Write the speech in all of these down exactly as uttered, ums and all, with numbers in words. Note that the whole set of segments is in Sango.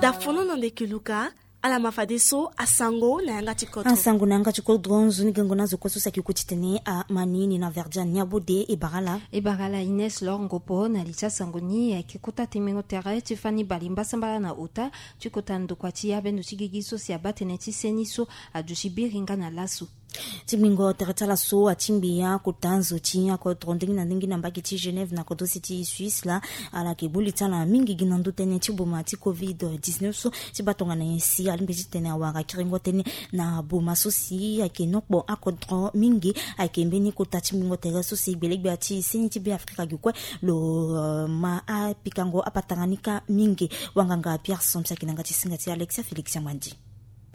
Dafono na nde keluka. Ala ma fadeso asango na yanga ti kodro. Asango na yanga ti kodro, nzoni gengo na zo kue so saki kuti tene ama ni ni na verdian ni abode e bara ala. E bara ala Ines Lor Ngopo na li ti asango ni ayeke kota tengbingo tere ti fani bale mbasambala na ota ti kota ndokua ti abendo ti gigi so si abaa tënë ti seni so aduti biri nga na laso. Tingbingo tere ti ala so atingbi akota nzo ti akodro ndenge na ndenge na mbage ti Genève na kodro si ti Suisse laa. Ala yeke boli ti ala mingi gi na ndö tënë ti boma ti covid dix-neuf so ti baa tongana nyen si alingbi titene awara kiringo tënë na boma so si ayeke nokpo akodro mingi. Ayeke mbeni kota tingbingo tere so si gbelegbia ti seni ti Be Afrika gi kue lo ma apikango apatara ni kâ mingi. Wanganga Pierre Somp si ayeke na yanga ti singa ti Alexia Félix Amandi.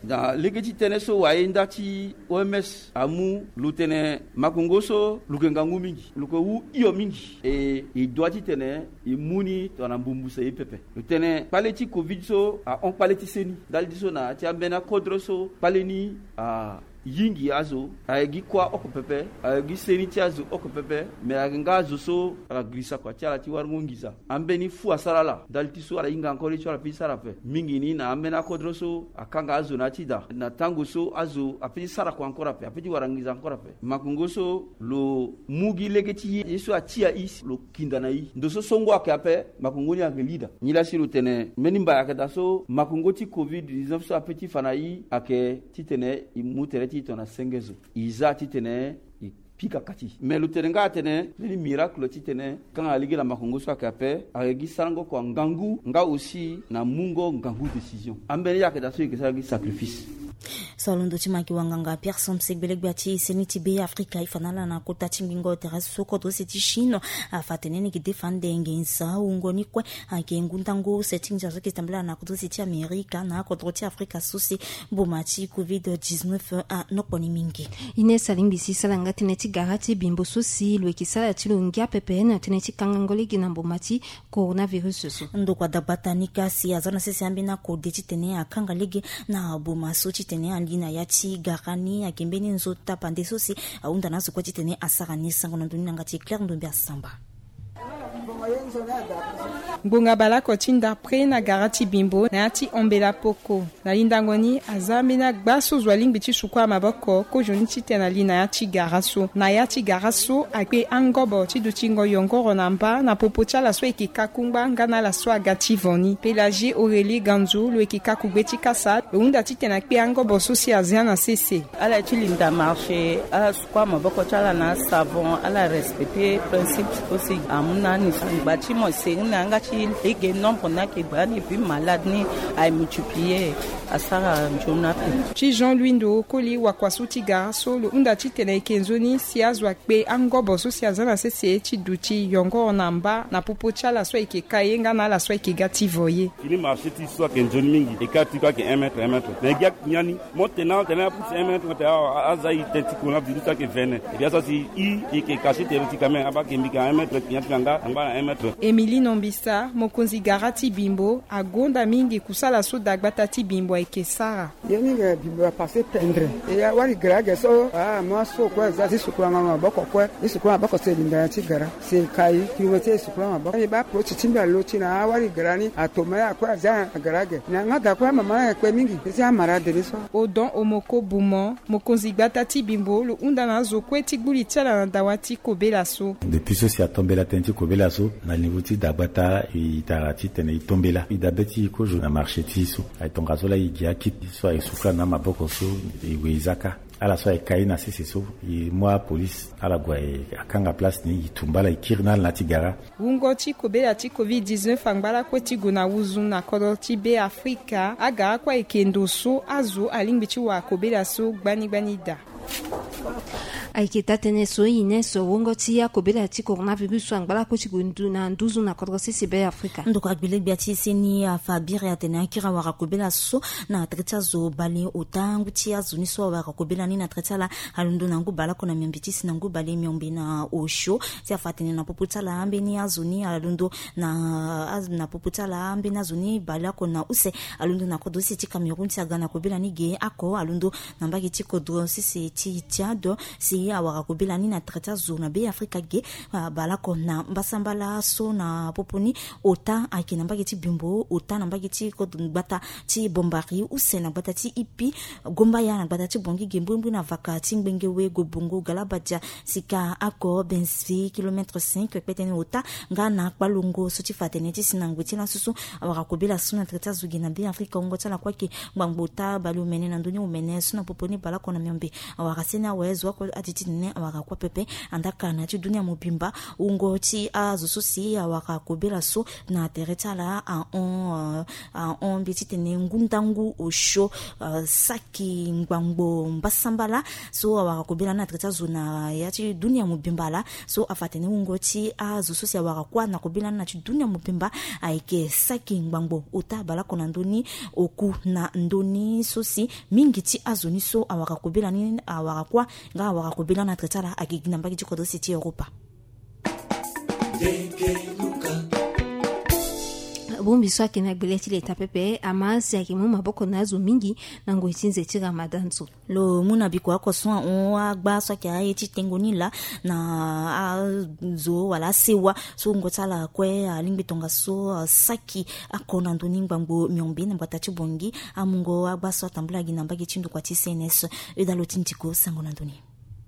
Na lege ti tënë so waye nda ti O M S amu lo tene makongo so lo yeke ngangu mingi, lo yeke wu hio mingi. E, e dua titene e mu ni tongana mbumbu se ye pepe. Lo tene kpale ti covid so ahon kpale ti seni ndali ti so na ya ti ambeni akodro so kpale ni a yingi azo, aye gi kuâ oko pepe, aye gi seni ti azo oko pepe. Me ayeke nga azo so ala girisa kua ti ala ti warango nginza. Ambeni fu asara ala ndali ti so ala hinga encore ti so ala pe ti sara ape. Mingi ni na ambeni akodro so akanga azo na ya ti da na tango so azo ape ti sara kua encore ape, ape ti wara nginza encore ape. Makongo so lo mu gi lege ti ye so atia i si lo kinda na i. Ndo so songo ayeke ape, makongo ni ayeke lida. Nilaa si lo tene mbeni mbai ayeke daa so makongo ti covid dix-neuf so ape ti fa na i ayeke titene i mu tere ti i tongana senge zo. I za titene i pika kati. Me lo tene nga atene mbeni miracle titene kanga lege na makongo so ayeke ape, ayeke gi sarango kua ngangu nga aussi na mungo ngangu décision. Ambeni ayeke daa so i yeke sara gi sacrifice. So alondo ti ma yeke wanganga Pierre Somp si gbelegbia ti seni ti Be Afrika e fa na ala na kota ti ngbingo tere so kodro use ti Chine. Afa tene ni yeke defa ande nginza wungo ni kue. Ayeke ngu ndango use ti nginza so yeke tambela na kodro use ti Amerika na akodro ti Afrika so si mboma ti covid dix-neuf anokpo ni mingi. Ines alingbi si sara nga tënë ti gara ti bimbo so si lo yeke sara ti lo ngia pepe na tënë ti kangango lege na mboma ti coronavirus so. Ndokua dagbata ni kâ si aza na sese ambeni akode titene akanga lege na boma so titene ali na ya ti gara ni. Ayeke mbeni nzo tapande so si ahunda na azo kue titene asara ni. Sango na ndoni na yanga ti Claire Ndombe Asamba. Ngbonga baleoko ti ndapre na gara ti bimbo na ya ti ombela poko. Na lindango ni aza ambeni agba so zo alingbi ti sukua maboko kozoni titene ali na ya ti gara so. Na ya ti gara so akpe angobo ti dutingo yongoro na mba na popo ti ala so ayeke ka kungba nga na ala so aga ti vo ni. Pélagie Aurélie Ganzo lo yeke ka kugbe ti kasa lo hunda titene akpe angobo so si azia na sese. Ala ye ti linda marché, ala sukua maboko ti ala na asavon, ala respecter principe so si amu na ani. Angba ti mo e seni na yanga ti lege nombre ni ayeke gba ni, puis malade ni aye multiplier, asara nzoni ape. Ti Jean Louis Ndo Koli, wakua so ti gara so, lo hunda titene e yeke nzoni si azo akpe angobo so si aza na sese ti duti yongoro na mba na popo ti ala so ayeke ka ye nga na ala so ayeke ga ti vo ye. Fini marché ti so ayeke nzoni mingi, e ka ti kue ayeke un mètre, un mètre. Na e gi akigna ni, mo tene atene apusu un mètre, mo tene awa, aza e tene ti coronavirus ayeke vene. E bia so si i, e yeke caché tere ti quand même, abaa ayeke mbi ka un mètre, kigna ti ka nga angba na un mètre. Émilie Nombisa, mokonzi gara ti bimbo, agonda mingi kusala so dagbata ti bimbo ayeke sara. Ye ni ge bimbo apassé tendre. E ya wari gara ge so, ah, mo aso kue aza ti sukula nga maboko kue. E sukula maboko si e linda na ya ti gara. Si e kai, kiri mo ti e sukula maboko. E baa poti ti mbi alo ti na awari gara ni, atoma ya kue aza na gara ge. Na yanga daa kue amama na e kpe mingi. E ti amara de ni so. Odon Omoko Bumo, mokonzi gbata ti bimbo, lo hunda na azo kue ti gbu li ti ala na dawa ti kobela so. Depuis so si atombela tënë ti kobela so, na niveau ti dagbata, e tara titene e tombela. E dabe ti e kozo na marché ti e so. Aye tongaso laa e gi akiti so aye sukula na amaboko so, e we e za kâ. Ala so aye kai na sese so, e mu apolice, ala gue e akanga place ni, e tumba ala, e kiri na ala na ya ti gara. Wungo ti kobela ti covid dix-neuf angba lakue ti gue na wuzu na kodro ti Be Afrika, agara kue ayeke ndo so azo alingbi ti wara kobela so gbani gbani daa. Ayeke taa-tënë so e ne so wungo ti akobela ti coronavirus so angba lakue ti gue ndu na nduzu na kodro sese Be Afrika. Ndokua gbelegbia ti seni afa biri atene akiri awara kobela so na tere ti azo bale ota. Ngu ti azo ni so awara kobela ni na tere ti ala alondo na ngu baleoko na miombe ti si na ngu bale miombe na osio. Si afa atene na popo ti ala ambeni azo ni alondo na, na popo ti ala ambeni azo ni baleoko na use alondo na kodro sese ti Cameroun si aga na kobela ni ge oko alondo na mbage ti kodro sese ti Tchad. Si Awara kobela ni na tere ti azo na be afrika ge. Baleoko na mbasambala so na popo ni ota ayeke na mbage ti bimbo, ota na mbage ti gbata ti bombari use na gbata ti ipi, gombaya na gbata ti bongi ge mbrimbri na vaka ti ngbenge we gobongo galabadia sika ako benzi kilometre cinq kpetene ota nga na kpalongo so ti fa tene ti si na ngbe ti laso so. Awara kobela so na tere ti azo ge na be afrika wungo ti ala kue ayeke ngbangbo ota baleomene na ndoni omene so na popo ni baleoko na miombe. Awara seni awe zo oko ati ti tene awara kue pepe. Andaka na ya ti dunia mobimba wungo ti azo so si awara kobela so na tere ti ala ahon ahon mbi ti tene ngu ndangu osio saki ngbangbo mbasambala so awara kobela ni na tere ti azo na ya ti dunia mobimba laa. So afa tene wungo ti azo so si awara kuâ na kobela ni na ti dunia mobimba ayeke saki ngbangbo ota baleoko na ndoni oku na ndoni so si mingi ti azo ni so awara kobela ni awara kuâ nga awara kobela na tere ti ala ayeke gi na mbage ti kodro use ti europa. Bongbi so ayeke na gbele ti leta pepe ama si ayeke mu maboko na azo mingi na ngoi ti nze ti ramadan so. Lo mu na biko oko so ahon agba so ayeke aye ti tengo ni laa na azo wala asewa so wungo ti ala kue alingbi tongaso asaki ako na ndoni ngbangbo miombe na mbata ti bongi. Amungo agba so atambula gi na mbage ti ndokua ti cns. Euda lo ti ndiko sango na ndoni.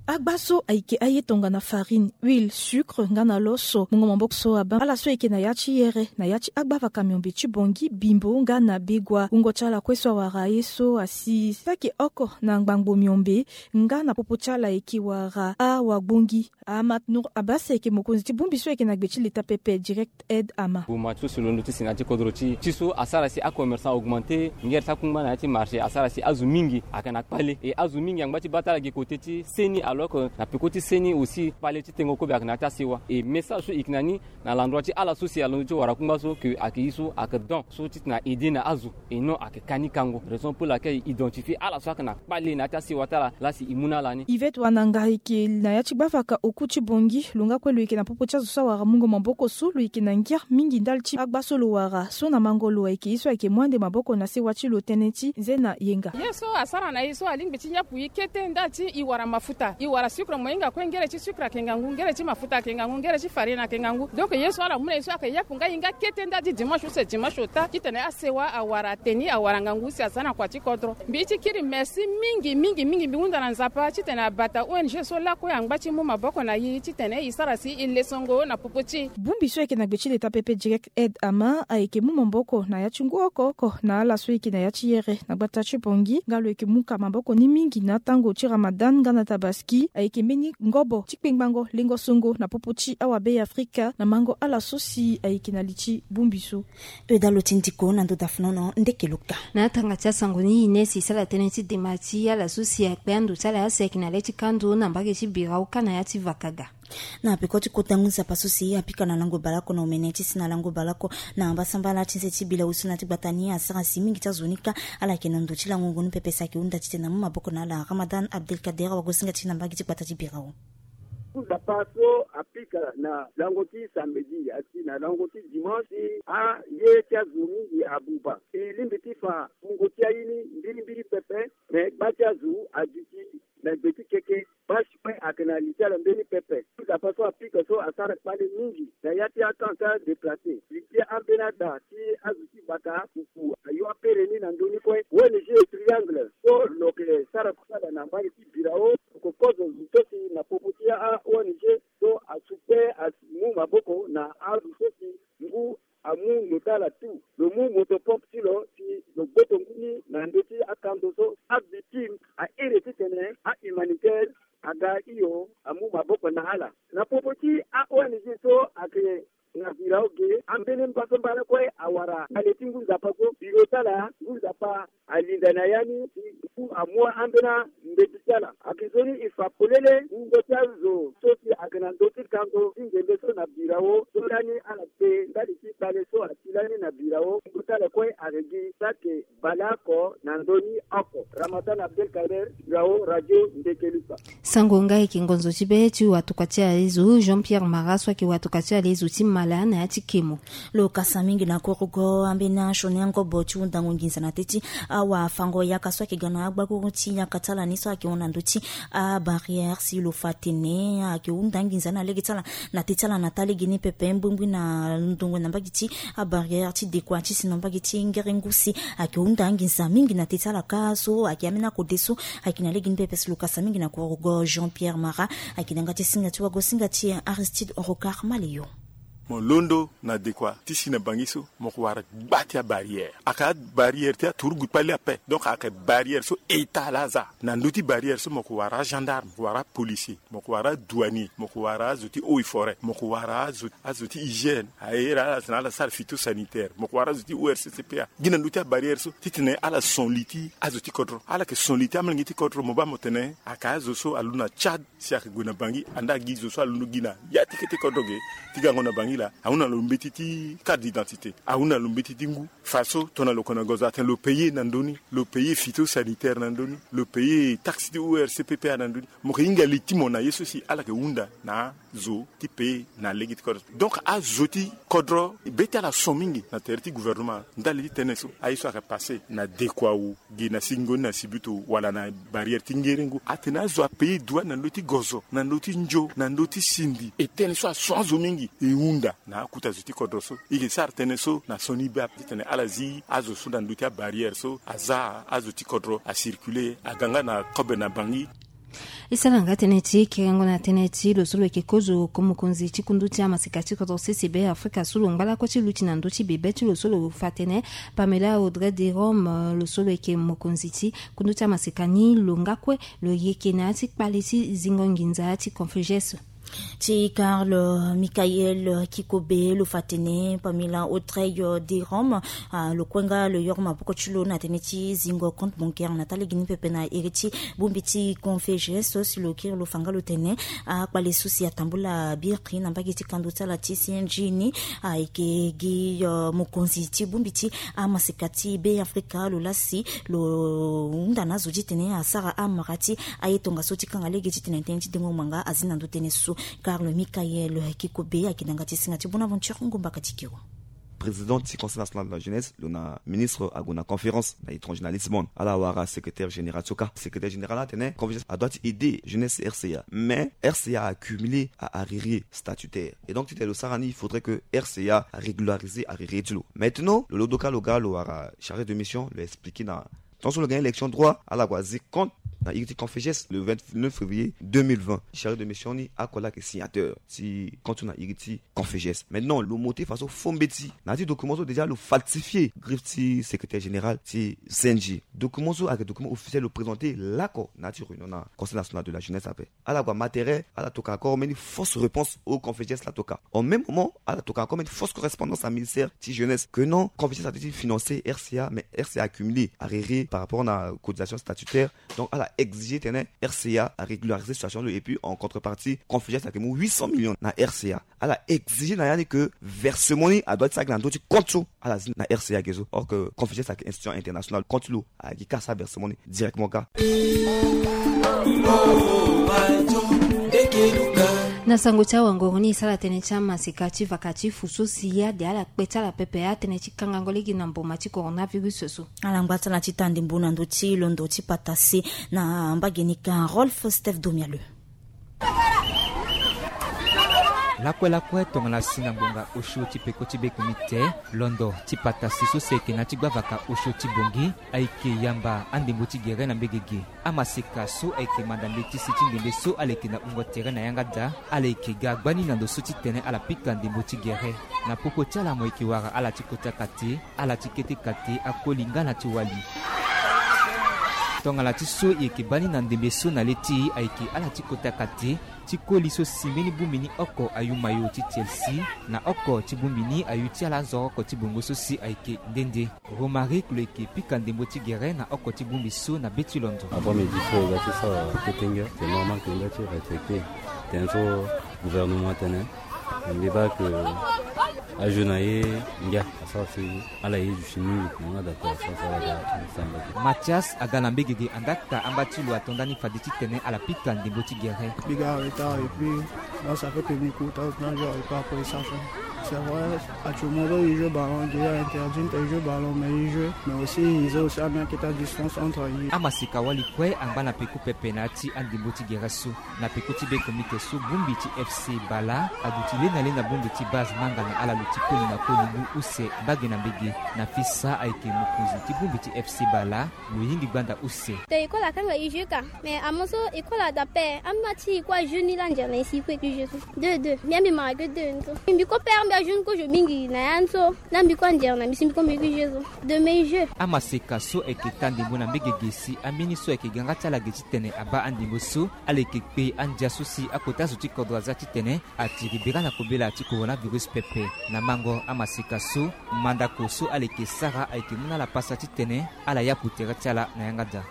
Agba so ayeke aye tongana farine, huile, sucre nga na loso mungo maboko so abaa ala so ayeke na ya ti here na ya ti agba vaka miombe ti bongi bimbo nga na begua wungo ti ala kue so awara aye so asi saki oko na ngbangbo miombe nga na popo ti ala ayeke wara awagbongi. Amatnur abasi ayeke mokonzi ti bongbi so ayeke na gbe ti leta pepe direct aide ama. Goma ti so si londo ti si na ya ti kodro ti ti so asara si acommerçant augmente ngere ti akungba na ya ti marché asara si azo mingi ayeke na kpale e azo mingi angba ti baa ti ala gi kote ti seni alors que na peko ti seni aussi kpale ti tengo kobe ayeke na ya ti asewa e message so e yeke na ni na landroi ti ala so si alondo ti wara kungba so ke ayeke ye so ayeke don so titene aide na azo. E non ayeke ka ni kango raison pour laquelle identifie ala so ayeke na kpale na ya ti asewa ti ala laa si e mu na ala ni. Ivet wananga ayeke na ya ti gbavaka oku ti bongi lo nga kue lo yeke na popo ti azo so awara mungo maboko so lo yeke na ngia mingi ndali ti agba so lo wara so na mango lo ayeke ye so ayeke mu ande maboko na sewa ti lo tënë ti nze na yenga. Ye so asara na e so alingbi ti nyapu e kete ndali ti e wara mafuta e wara sucre mo hinga kue ngere ti sucre ayeke ngangu ngere ti mafuta ayeke ngangu ngere ti farine ayeke ngangu donc ye so ala mu na e so ayeke yapu nga e nga kete ndali ti dimanche use dimanche ota titene asewa awara teni awara ngangu si aza na kua ti kodro. Mbi ti kiri merci mingi mingi mingi mbi hunda na nzapa titene abata ong so lakue angba ti mu maboko na e titene e sara si e lesongo na popo ti e. Bongbi so ayeke na gbe ti leta pepe direct aide ama ayeke mu maboko na ya ti ngu oko oko na ala so ayeke na ya ti here na gbata ti bongi nga lo yeke mu ka maboko ni mingi na atango ti ramadan nga na tabaski ayeke mbeni ngobo ti kpengbango lengo songo na popo ti awabe ya afrika na mango ala so si ayeke na li ti bongbi so. Euda lo ti ndiko na ndo dafnono ndeke lo ka. Na atanga ti asango ni ines esala tënë ti dema ti ala so si akpe ando ti ala asi ayeke na le ti kando na mbage ti birau ka na ya ti vakaga. Na peko ti kota ngu nzapa so si apika na lango baleoko na omene ti si na lango baleoko na mbasambala ti nze ti bila usu na ti gbata ni asara si mingi ti azo ni ka ala yeke na ndo ti lango ngu ni pepe si ayeke hunda titene amu maboko na ala ramadan abdelkader wagosinga ti na mbage ti gbata ti birau. Nzapa so apika na lango ti samedi asi na lango ti dimanche aye ti azo mingi abuba e lingbi ti fa mungo ti aye ni mbirimbiri pepe. Me gba ti azo aduti na gbe ti keke basi kue ayeke na li ti ala mbeni pepe. Nzapa so apika so asara kpale mingi na ya ti akan ti adeplace li ti ambeni ada ti azo ti bata kuku ayo apere ni na ndö ni kue ong triangle so lo yeke sara kusala na mbage ti birao lo yeke kozo zo so si na popo ti a-ong so asu kue asi mu maboko na azo so si ngu amu lo ti ala tu lo mu moto pompe ti lo si lo gboto ngu ni na ndö ti akando so avictime ahere titene ahumanitaire aga hio amu maboko na ala. Na popo ti a-ong so ayeke na virao ge ambeni mbasambala kue awara ale ti ngu nzapa so biro ti ala ngu nzapa alinda na ya ni si ngu amu ambeni ambeti ti ala. Ayeke nzoni e fa polele wungo ti azo so si ayeke na ndö ti kando ti nzembe so Na birao so lani ala pe ndali ti kpale so asi lani na birao kota le kue ayeke gi sake baleoko na ndoni oko. Ramadan Abdelkader, birao radio Ndekeluka. Sango nga ayeke ngonzo ti be ti watokua ti alezo Jean Pierre Mara so ayeke watokua ti alezo ti mala na ya ti kemo. Lo kasa mingi na korogo ambeni asioni angobo ti hundango nginza na teti awafango yaka so ayeke ga na agbaguru ti yaka ti ala ni so ayeke hon na ndö ti abarrière si lo fa atene ayeke hunda anginza ni na lege ti ala na teti ala na taa lege ni pepe mbumbui na ndongo na mbage ti abarrière ti dekua ti si na mbage ti ngerengu si ayeke hunda anginza mingi na teti ala kâ so ayeke ambeni akode so ayeke na lege ni pepe si lo kasa mingi na korogo Jean Pierre Mara. Ayeke na yanga ti singa ti wago singa ti Aristide Rocard Maleyo. Mo londo na dekua ti si na bangi so mo ko wara gba ti abarrière. Ayeke abarrière ti aturugu kpali ape. Donc ayeke barrière so eta laa aza. Na ndö ti barrière so mo ko wara agendarme, mo ko wara apolicier, mo ko wara adouanier, mo ko wara azo ti eaux et forêt, mo ko wara azo ti hygiène, aye ira ala tena ala sara phytosanitaire, mo ko wara azo ti ORCCPA. Gi na ndö ti abarrière so titene ala son li ti azo ti kodro. Ala yeke son li ti amolenge ti kodro mo baa mo tene ayeke azo so alu na Tchad si ayeke gue na bangi anda gi zo so alondo gi na ya ti kete kodro ge ti gango na bangi laa. Ahunda lo mbeti ti carte d'identité, ahunda lo mbeti ti ngu. Faso tongana lo kona gozo atene lo paye na ndö ni, lo paye phytosanitaire na ndö ni, lo paye taxe ti ORCPPA na ndö ni. Mo yeke hinga li ti mo na ye so si ala yeke hunda na zo ti paye na lege ti kodro. Donc azo ti kodro be ti ala son mingi na tere ti gouvernement ndali ti tënë so. Aye so ayeke passe na dekua wu gi na singo ni na sibutu wala na barrière ti ngerengu atene azo apaye douane na ndö ti gozo, na ndö ti nzo, na ndö ti sindi. E tënë so ason azo mingi e hunda na akuta zo ti kodro so. E yeke sara tënë so na sioni be ape titene ala zi azo so na ndö ti abarrière so aza azo ti kodro acirculer aga nga na kobe na bangi. E sara nga tënë ti kerengo na tënë ti lo so lo yeke kozo ko mokonzi ti kundu ti amaseka ti kodro sese be Afrika so lo ngba lakue ti luti na ndö ti bebe ti lo so lo fa tënë Pamela Audrey Jerome, lo so lo yeke mokonzi ti kundu ti amaseka ni lo nga kue lo yeke na ya ti kpale ti zingo nginza ti Confucius. Ti Carl Michael Kikobe lo fa tene Pamela Audrey Jerome, ah, lo kue nga lo yoro maboko ti lo na tënë ti zingo compte bancaire na taa lege ni pepe na iri ti bongbi ti Confucius so si lo kiri lo fa nga lo tene, ah, kpale so si atambula biri na mbage ti kando ti ala ti C N G ni, ah, ayeke gi, ah, mokonzi ti bongbi ti amaseka ti Be Afrika lo laa si lo hunda na azo ti tene asara amara ti aye tongaso ti kanga lege titene tënë ti dengo ngbanga azi na ndö tënë so. Carl Michael Kikobe ayeke na yanga ti singa ti Bonaventure Ngomba Katikiro. Président ti Conseil national de la jeunesse, lo na ministre ague na conférence na étranger na Lisbonne. Ala wara secrétaire général ti oka. Secrétaire général atene Confucius adoit ti aider jeunesse R C A. Mais R C A accumulé a arriéré statutaire. Et donc titene lo sara ni, il faudrait que R C A régularise arriéré ti lo. Maintenant lo londo ka lo ga lo wara chargé de mission, lo expliqué na tant so lo gagné élection droit, ala gue azi compte na iri ti Confucius le vingt-neuf février deux mille vingt. Chargé de mission ni ako laa ayeke signateur ti compte so na iri ti Confucius. Maintenant lo monté faso faux mbeti na ya ti document so déjà lo falsifié griffe ti secrétaire général ti C N G. Document so ayeke document officiel lo présenté laoko na ya ti réunion na Conseil national de la jeunesse ape. Ala gue amatéré, ala toka encore mbeni fausse réponse au Confucius la toka. En même moment ala toka encore mbeni fausse correspondance na ministère ti jeunesse que non, Confucius adoit ti financer R C A, mais R C A accumulé arriéré par rapport na cotisation statutaire. Donc ala exigé tene R C A arégularisé situation lo, et puis en contrepartie Confucius ayeke mu huit cents millions na R C A. Ala exigé na ya ni que versement ni adoit ti sara gi na ndö ti compte so ala zi na R C A ge so. Or que Confucius ayeke institution internationale, compte ti lo ayeke gi ka asara versement ni directement ka. Na sango ti awangoro ni e sara tënë ti amaseka ti vaka ti fu so si ade ala kpe ti ala pepe atënë ti kangango lege na mboma ti coronavirus so. Ala ngba ti ala ti taa ndembo na ndö ti londo ti patase na mbage ni ka. Rolf Steph Domialeu. Lakue lakue tongana si na ngbonga osio ti peko ti be comité, londo ti patasi so si ayeke na ya ti gbavaka osio ti Bangui ayeke yamba andembo ti gere na mbege ge. Amaseka so ayeke manda mbeti si ti ngbende so ala yeke na wungo tere na yanga daa, ala yeke ga gbani na ndo so titene ala pika ndembo ti gere. Na popo ti ala mo yeke wara ala ti kota kate, ala ti kete kate, akoli nga na ti wali. Tongana ti so e yeke baa ni na ndembe so na le ti e ayeke ala ti kota kate, ti koli so si mbeni bongbi ni oko ayu mayo ti Chelsea, na oko ti bongbi ni ayu ti ala azoro oko ti bongo so si ayeke nde nde. Romaric lo yeke pika ndembo ti gere na oko ti bongbi so na be ti londo. Avant midi so e ga ti sara ketenge, c'est normal que e ga ti respecter tënë so gouvernement atene. Mbi baa ke ajeu na ye ngia asara si ala ye du si mingi na nga daa pe asara si ala ga samba. Mathias aga na mbege ge andakta amba ti lo ato ndani fade titene ala pika ndembo ti gere. Mbi ga retard et puis là ça fait que mbi kota na jour et pas après ça. C'est vrai, actuellement il joue ballon, il est interdit de jouer ballon, mais il joue. Mais aussi il joue aussi à mettre à distance entre lui. Amaseka wali kue angba na peko pepe na ya ti andembo ti gere so. Na peko ti be komite so bongbi ti FC Bala aduti lena lena bongbi ti base manga na ala lo ti koli na koli ngu use mbage na mbege. Na fisa ayeke mokonzi ti bongbi ti FC Bala lo hingi gbanda use. Te e kue la kanga e jeu ka. Mais amu so e kue la dape ama ti e kue ajeu ni la nzere na e si e kue e ke jeu so. Deux deux mbi ambi mara ke deux ni so. Mbi kue pere mbi ajeu ni kozo mingi na ya ni so. La mbi kue anzere na mbi si mbi kue mbi ke jeu so. Deux mais jeu. Amaseka so ayeke taa ndembo na mbege ge si ambeni so ayeke ganga ti ala ge titene abaa andembo so. Ala yeke kpe andia so si akota zo ti kodro aza titene atiri bira na kobela ti coronavirus pepe. Na mango amaseka so mandako so ala yeke sara ayeke mu na ala pasa titene ala yapu tere ti ala na yanga daa.